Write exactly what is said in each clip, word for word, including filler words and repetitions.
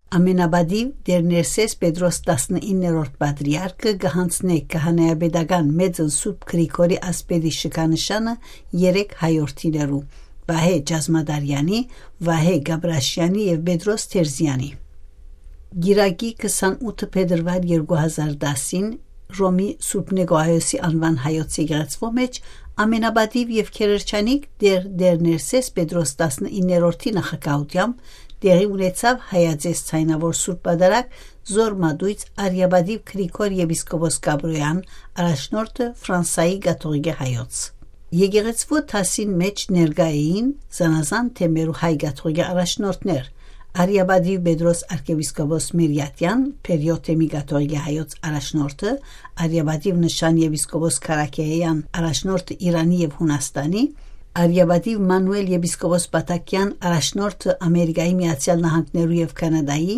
Ամենապատիւ Տէր Ներսէս Պետրոս տասնիններորդ պատրիարքը կը յանձնէ քահանայապետական մեծն Սուրբ Գրիգորի ասպետի շքանշանը երեք հայորդիներու՝ Վահէ Ճազմադարեանի, Վահէ Գաբրաշեանի եւ Պետրոս Թերզեանի։ Կիրակի քսանութ փետրուար երկու հազար տասին Ռոմի Սուրբ Նիկողայոսի անուան հայոց եկեղեցւոյ մէջ ամենապատիւ եւ քերերչանիկ Տէր Տէր Ներսէս Պետրոս տասնիններորդի նախագահութեամբ տեղի ունեցաւ հայաձեզ ձայնաւոր Սուրբ Պատարագ Զոր Մատոյց արիապատիւ Գրիգոր եպիսկոպոս Կաբրոյեան, առաջնորդը Ֆրանսայի կաթողիկէ հայոց։ Եկեղեցւոյ դասին մէջ ներկայ էին զանազան թեմերու հայ կաթողիկէ առաջնորդներ՝ արիապատիւ Պետրոս արքեպիսկոպոս Միրիատեան, Փերիոթեմի կաթողիկէ հայոց առաջնորդը, արիապատիւ Նշան եպիսկոպոս Քարաքեաեան, առաջնորդը Իրանի եւ Յունաստանի, արիապատիւ Մանուէլ եպիսկոպոս Պաթաքեան, առաջնորդը Ամերիկայի Միացեալ Նահանգներու եւ Քանադայի,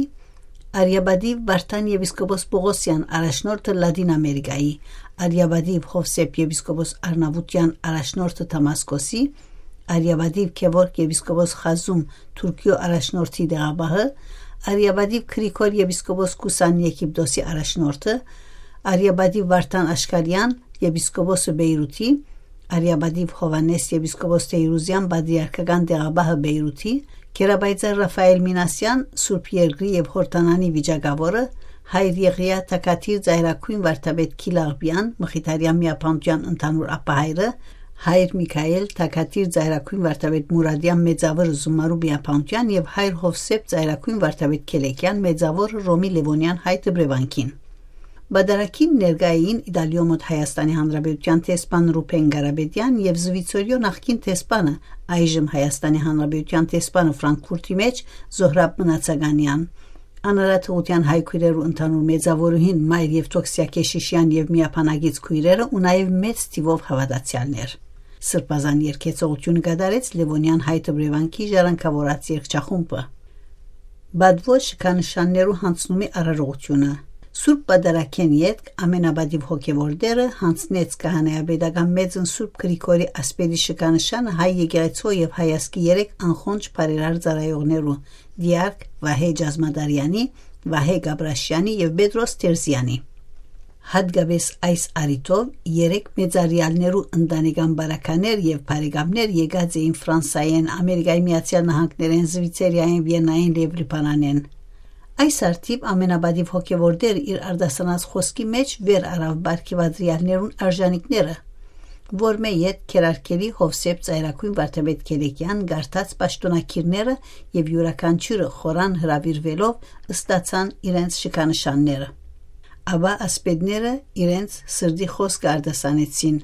արիապատիւ Վարդան եպիսկոպոս Պողոսեան, առաջնորդը Լատին Ամերիկայի, արիապատիվ Յովսէփ եպիսկոպոս Արնաւութեան, առաջնորդը Դամասկոսի, արիապատիվ Գեորգ եպիսկոպոս Խազում, Թուրքիոյ առաջնորդի տեղապահը, արիապատիվ Գրիգոր եպիսկոպոս Կուսան, Եգիպտոսի առաջնորդը, արիապատիվ Վարդան Աշկարեան, եպիսկոպոսը Բեյրութի, արիապատիվ Յովհաննէս եպիսկոպոս Թեյրուզեան, պատրիարքական տեղապահը Բեյրութի, Գերապայծառ Ռաֆայել Մինասեան, Սուրբ Երկրի եւ Յորդանանի վիճակաւորը, հայր Եղիա թագադիր ծայրագոյն վարդապետ Գիլաղպեան, Մխիթարեան միաբանութեան ընդհանուր ափահայրը, հայր Միքայել թագադիր ծայրագոյն վարդապետ Մուրադեան, մեծաւորը Զումարու միաբանութեան, եւ հայր Յովսէփ ծայրագոյն վարդապետ Քելեքեան, մեծաւորը Ռոմի Լեւոնեան հայ դպրեվանքին։ Պատարագին ներկայ էին Իտալիոյ մօտ Հայաստանի Հանրապետութեան դեսպան Ռուբեն Կարապետեան եւ Զուիցորիոյ նախկին դեսպանը, այժմ Հայաստանի Հանրապետութեան դեսպանը Ֆրանկֆուրտի մէջ Զոհրաբ Մնացականեան, անարատ ուղղութեան հայ քոյրերու ընդհանուր մեծաւորուհին Մայր Եւդոքսիա Քեշիշեան եւ միաբանակից քոյրերը ու նաեւ մեծ թիւով հաւատացեալներ։ Սրբազան երգեցողութիւնը կատարեց Լեւոնեան հայ դպրեվանքի ժառանգաւորաց երգչախումբը։ Բադուոյ շքանշաններու յանձնումի արարողութիւնը։ Սուրբ Պատարագէն ետք ամենապատիւ հոգեւոր Տէրը յանձնեց քահանայապետական մեծն Սուրբ Գրիգորի ասպետի շքանշանը հայ եկեղեցւոյ եւ հայ ազգի երեք անխոնջ բարերար ծառայողներու՝ դիարք Վահէ Ճազմադարեանի, Վահէ Գաբրաշեանի եւ Պետրոս Թերզեանի։ Յատկապէս այս առիթով երեք մեծարեալներու ընտանեկան բարեբայրեր եւ բարեկամներ եկած էին Ֆրանսայէն, Ամերիկայի Միացեալ Նահանգներէն, Զուիցերիայէն, Վիեննայէն եւ Լիբանանէն։ Այս առթիւ ամենապատիւ հոգեւոր Տէրը իր արտասանած խօսքի մէջ վեր առաւ բարքի պատրիարքներուն արժանիքները, որմէ ետք քերարքելի Յովսէփ ծայրագոյն վարդապետ Քելեքեան կարդաց պաշտօնակիրները եւ իւրաքանչիւրը խորան հրաւիրուելով ստացան իրենց շքանշանները։ Ապա ասպետները իրենց սրտի խօսքը արտասանեցին,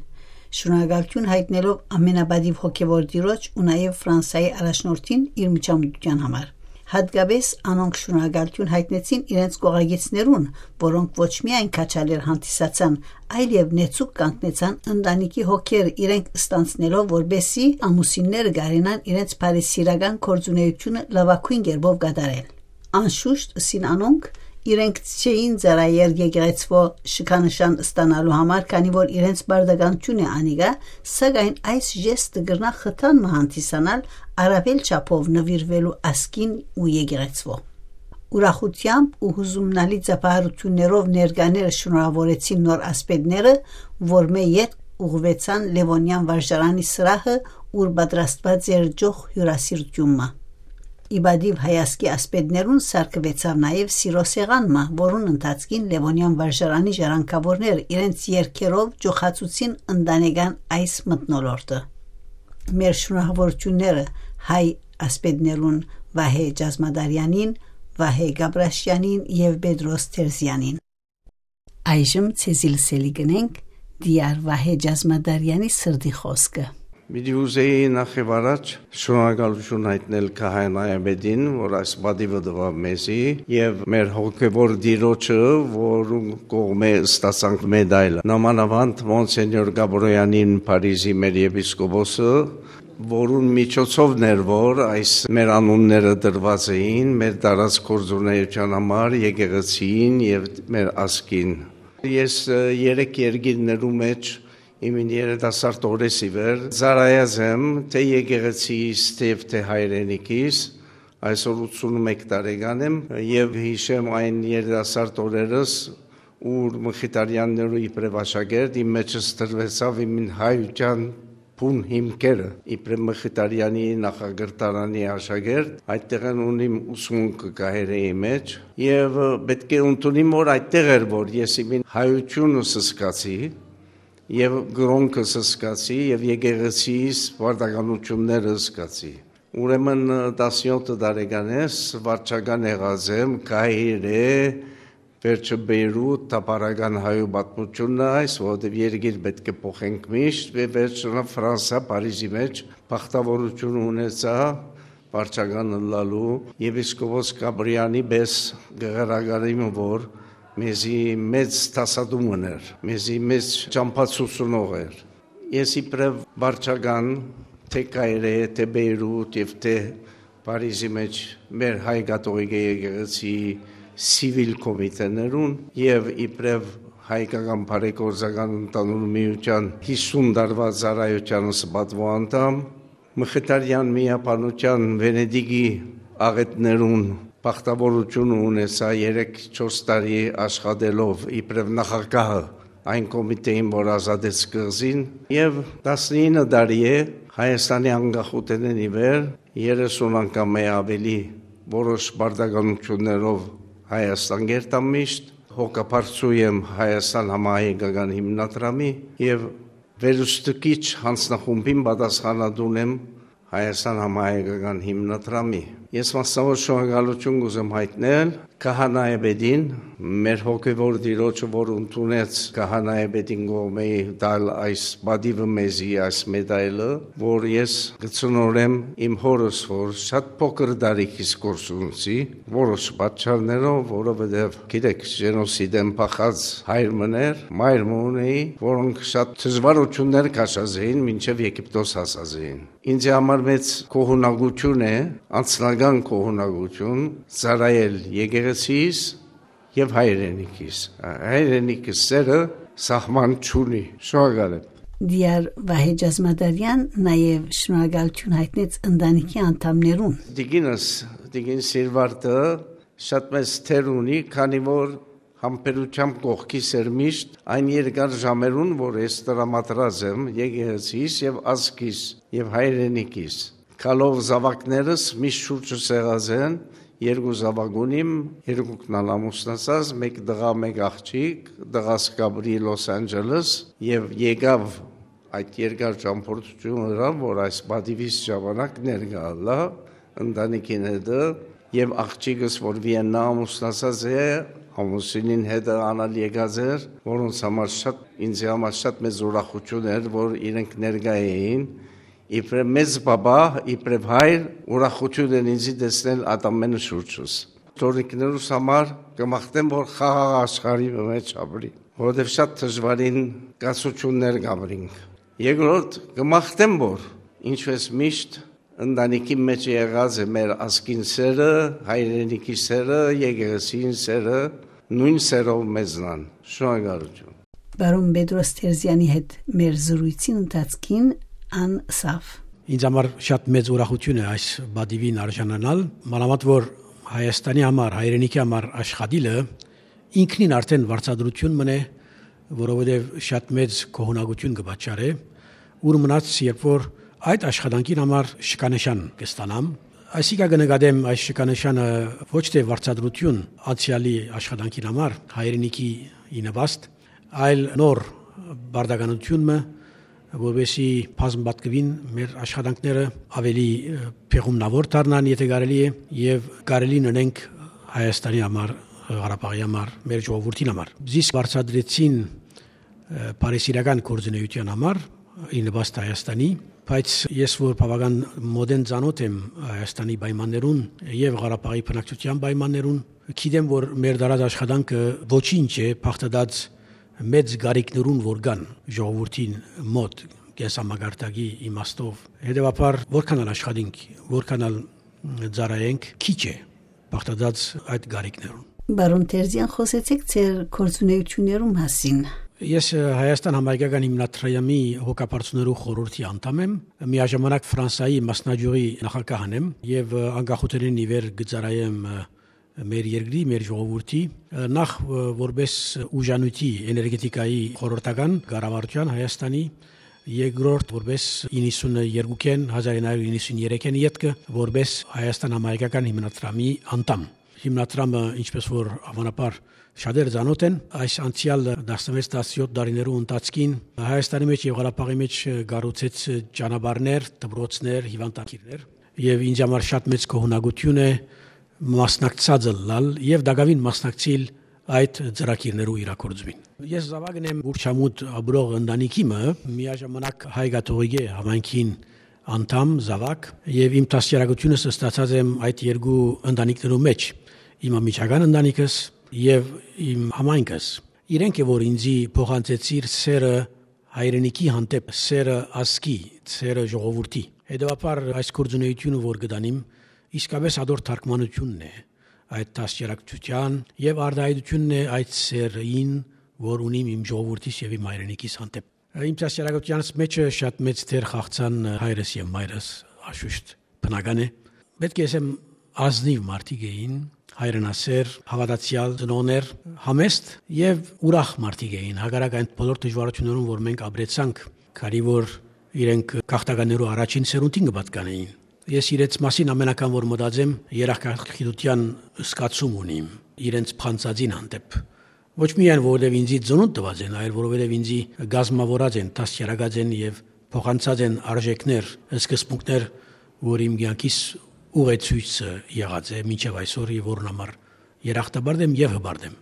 շնորհակալութիւն յայտնելով ամենապատիւ հոգեւոր Տիրոջ ու նաեւ Ֆրանսայի առաջնորդին իր միջամտութեան համար։ Յատկապէս անոնք շնորհակալութիւն յայտնեցին իրենց կողակիցներուն, որոնք ոչ միայն քաջալեր հանդիսացան, այլեւ նեցուկ կանգնեցան ընտանիքի հոգերը իրենք ստանձնելով, որպեսզի ամուսինները կարենան իրենց բարեսիրական գործունեութիւնը լաւագոյն կերպով կատարել։ Անշուշտ, ըսին անոնք, իրենք չէին ծառայեր եկեղեցւոյ շքանշան ստանալու համար, քանի որ իրենց պարտականութիւն է անիկա, սակայն այս ժեստը կրնայ խթան մը հանդիսանալ առաւել չափով նուիրուելու ազգին ու եկեղեցւոյ։ Ուրախութեամբ ու յուզումնալի ծափահարութիւններով ներկաները շնորհաւորեցին նոր ասպետները, որմէ ետք ուղղուեցան Լեւոնեան վարժարանի սրահը, ուր պատրաստուած էր ճոխ հիւրասիրութիւն մը։ Ի պատիւ հայ ազգի ասպետներուն սարքուեցաւ նաեւ սիրո սեղան մը, որուն ընթացքին Լեւոնեան վարժարանի ժառանգաւորները իրենց երգերով ճոխացուցին ընտանեկան այս մթնոլորտը։ Մեր շնորհավորութիւնները հայ ասպետներուն Վահէ Ճազմադարեանին, Վահէ Գաբրաշեանին եւ Պետրոս Թերզեանին։ Այժմ ձեզի լսելի կ'ընենք Տիար Վահէ Ճազմադարեանի սրտի խօսքը։ Պիտի ուզեի նախ եւ առաջ շնորհակալութիւն յայտնել քահանայապետին, որ այս պատիւը տուաւ մեզի, եւ մեր հոգեւոր Տիրոջը, որուն կողմէ ստացանք մեդայլը։ Նամանավանդ Մոնսենյոր Գաբրոյանին, Փարիզի մեր եպիսկոպոսը, որուն միջոցովն էր, որ այս մեր անունները տրուած էին, մեր տարած գործունեության համար, եկեղեցին եւ մեր ազգին։ Ես, ը, երեք երկիրներու մէջ իմ երիտասարդ օրէս ի վեր ծառայած եմ, թէ եկեղեցիս, թէ, թէ հայրենիքիս, Այսօր ութսունմէկ տարեկան եմ եւ յիշեմ այն երիտասարդ օրերս, ուր Մխիթարեաններու իբրեւ աշակերտ իմ մէջս դրուեցաւ իմ հայութեան բուն հիմքերը, իբրեւ Մխիթարեանի նախակրթարանի աշակերտ, այդտեղէն ունիմ ուսմունքը Կահիրեի մէջ եւ, ը, պէտք է ընդունիմ, որ այդտեղ էր, որ ես իմ հայությունս զգացի եւ կրօնքս զգացի եւ եկեղեցիս պարտականութիւններս զգացի։ Ուրեմն, ը, տասնեօթ տարեկան ես, վարչական եղած եմ Կահիրե, վերջը Բեյրութ, թափառական հայու պատմութիւնն է այս, որովհետեւ երկիր պէտք է փոխենք միշտ, եւ վերջնա Ֆրանսա, Փարիզի մէջ բախտաւորութիւն ունեցայ վարչական ըլլալու, եպիսկոպոս Կապրիանի պէս կը ղրակարիմ, որ մեզի մեծ դասատում էր, մեզի մեծ ճամբացուցնող էր։ Ես իբրեւ վարչական, թէ Կայրե, թէ Բեյրութ եւ թէ Փարիզի մէջ մեր հայ կաթողիկէ եկեղեցի սիվիլ կոմիտեներուն եւ իբրեւ հայկական բարեգործական ընդհանուր միութեան յիսուն տարուայ ծառայութեանս պատուոյ անդամ, Մխիթարեան միաբանութեան Վենետիկի աղէտներուն բախտաւորութիւնը ունեցայ երեք-չորս տարի աշխատելով իբրեւ նախագահը այն կոմիտէին, որ ազատեց կղզին, եւ տասնինը տարի է Հայաստանի անկախութենէն ի վեր երեսուն անգամ է աւելի որոշ պարտականութիւններով Հայաստան կ'երթամ միշտ, հոգաբարձու եմ Հայաստան համահայկական հիմնադրամի եւ վերստուգիչ յանձնախումբին պատասխանատուն եմ Հայաստան համահայկական հիմնադրամի։ Ես մասնաւոր շնորհակալութիւն կ'ուզեմ յայտնել քահանայապետին, մեր հոգեւոր տիրոջը, որ ընդունեց քահանայապետին կողմէ տալ այս պատիւը մեզի, այս մեդայլը, որ ես կը ցնորեմ իմ հօրս, որ շատ փոքր տարիքից կորսունցի, որոշ պատճառներով, որովհետեւ, գիտեք, ժենոսիդ են փախած հայր մըն էր, մայր մը ունէի, որոնք շատ դժվարութիւններ քաշած էին, մինչեւ Եգիպտոս հասած էին։ Ինձի համար մեծ գոհունակութիւն է, անձնական գոհունակութիւն, ծառայել եկեղեցիս եւ հայրենիքիս։ Հայրենիքի սերը սահման չունի։ Շնորհակալ եմ։ Դիար Վահէ Ճազմադարեան նաեւ շնորհակալութիւն յայտնեց ընտանիքի անդամներուն։ Տիկինս, տիկին Սիրվարդը շատ մեծ դեր ունի, քանի որ համբերութեամբ կողքիս էր միշտ այն երկար ժամերուն, որ ես տրամադրած եմ եկեղեցիս եւ ազգիս եւ հայրենիքիս։ Գալով զաւակներս միշտ շուրջս եղած են, երկու զաւակ ունիմ, երկուքն ալ ամուսնացած, մէկ տղայ, մէկ աղջիկ, տղաս կ'ապրի Լոս Անջելես, եւ եկաւ այդ երկար ճամբորդութիւնը, որ այս պատիւիս ժամանակ ներկայ ըլլայ ընտանիքին հետը, եւ աղջիկս, որ Վիեննայ ամուսնացած է, ամուսինին հետը ան ալ եկած էր, որոնց համար շատ, ինձի համար շատ մեծ ուրախութիւն էր, որ իրենք ներկայ էին, իբրեւ մեծ պապա, իբրեւ հայր, ուրախութիւն են ինձի տեսնել այդ ամենը շուրջս։ Թորնիկներուս համար կը մաղթեմ, որ խաղաղ աշխարհի մէջ ապրի, որովհետեւ շատ դժուարին կացութիւններ կ'ապրինք։ Երկրորդ, կը մաղթեմ, որ ինչպես միշտ ընտանիքի մէջ եղած է մեր ազգին սերը, հայրենիքի սերը, եկեղեցին սերը, նոյն սերով մեզնան։ Շնորհակալութիւն։ Պարոն Պետրոս Թերզեանի հետ մեր զրոյցին ընթացքին ան ըսաւ. Ինձ համար շատ մեծ ուրախութիւն է այս պատիւին արժանանալ, մանաւանդ որ Հայաստանի համար, հայրենիքի համար աշխատիլը ինքնին արդեն վարձատրութիւն մըն է, որովհետեւ շատ մեծ գոհունակութիւն կը պատճառէ, ուր մնաց, երբ որ այդ աշխատանքին համար շքանշան կը ստանամ։ Այսինքն կը նկատեմ այս շքանշանը ոչ թէ վարձատրութիւն անցեալի աշխատանքին համար, հայրենիքի ի նպաստ, այլ նոր պարտականութիւն մը, որպեսզի բազմապատկուին մեր աշխատանքները, ավելի, ը, փեղումնաւոր դառնան, եթէ կարելի է, եւ կարելի ընենք Հայաստանի համար, Ղարաբաղի համար, մեր ժողովուրդին համար։ Զիս վարձատրեցին, ը, բարեսիրական գործունեութեան համար, ի նպաստ Հայաստանի, բայց ես որ բաւական մօտէն ծանօթ եմ Հայաստանի պայմաններուն եւ Ղարաբաղի բնակչության պայմաններուն, գիտեմ, որ մեր դարած աշխատանքը ոչինչ է բաղդատած մեծ կարիքներուն, որ կան ժողովուրդին մօտ, կենսամակարդակի իմաստով։ Հետեւաբար, որքան ալ աշխատենք, որքան ալ ծառայենք, քիչ է բաղդատած այդ կարիքներուն։ Պարոն Թերզեան, խօսեցէք ձեր գործունեութիւններու մասին։ Ես, ը, Հայաստան համահայկական հիմնադրամի հոգաբարձուներու խորհրդի անդամ եմ, միաժամանակ Ֆրանսայի մասնաճյուղի նախագահն եմ եւ, ը, անկախութենէն ի վեր կը ծառայեմ, ը, մեր երկրի, մեր ժողովուրդի, ը, նախ, ը, որպես ուժանյութի էներգետիկայի խորհրդական կառավարութեան Հայաստանի, երկրորդ որպես իննսուններկուքէն, հազար ինը հարիւր իննսուն երեքէն ետքը որպես Հայաստան համահայկական հիմնադրամի անդամ։ Հիմնադրամը, ինչպես որ, հավանաբար, շատեր ծանօթ են, այս անցեալ տասնվեց տասնեօթ տարիներու ընթացքին Հայաստանի մէջ եւ Ղարաբաղի մէջ կառուցեց ճանապարհներ, դպրոցներ, հիւանդանքիրներ, եւ ինձ համար շատ մեծ գոհունակություն է մասնակցած ըլլալ եւ տակաւին մասնակցիլ այդ ծրագիրներու իրագործումին։ Ես զաւակն եմ Ուրչամուտ ապրող ընտանիքի մը, միաժամանակ հայ կաթողիկէ համայնքին անդամ, զաւակ, եւ իմ դաստիարակութիւնս ստացած եմ այդ երկու ընտանիքներու մէջ, իմ անմիջական ընտանիքս եւ իմ համայնքս։ Իրենք է, որ ինձի փոխանցեցիր սերը հայրենիքի հանդէպ, սերը ազգի, սերը ժողովրդի։ Հետեւաբար այս գործունեությունը, որ կտանիմ, իսկապես ատոր թարգմանությունն է այդ դաստիարակչութեան եւ արտայայտությունն է այդ սերին, որ ունիմ իմ ժողովուրդիս եւ իմ հայրենիքիս հանդէպ։ Իմ դաստիարակութեանս մէջը շատ մեծ դեր խաղցան հայրս եւ մայրս, աշուշտ բնական է։ Պետք է ասեմ, ազնիվ մարդիկ էին, հայրենասեր, հաւատացեալ ծնողներ, համեստ եւ ուրախ մարդիկ էին, հակառակ այն բոլոր դժուարություններուն, որ մենք ապրեցանք, քանի որ իրենք գաղթականներու առաջին սերունդին կը պատկանէին։ Ես իրենց մասին ամենական որ մտածեմ, երախտագիտութեան զգացում ունիմ իրենց փանցածին հանդէպ։ Ոչ միայն որովհետեւ ինձի ծնունդ տուած են, այլ որովհետեւ ինձի կազմաւորած են, դաստիարակած են եւ փոխանցած են արժեքներ, սկզբունքներ, որ իմ կեանքիս ուղեցոյցը եղած է մինչեւ այսօր եւ որուն համար երախտապարտ եմ եւ հպարտ եմ։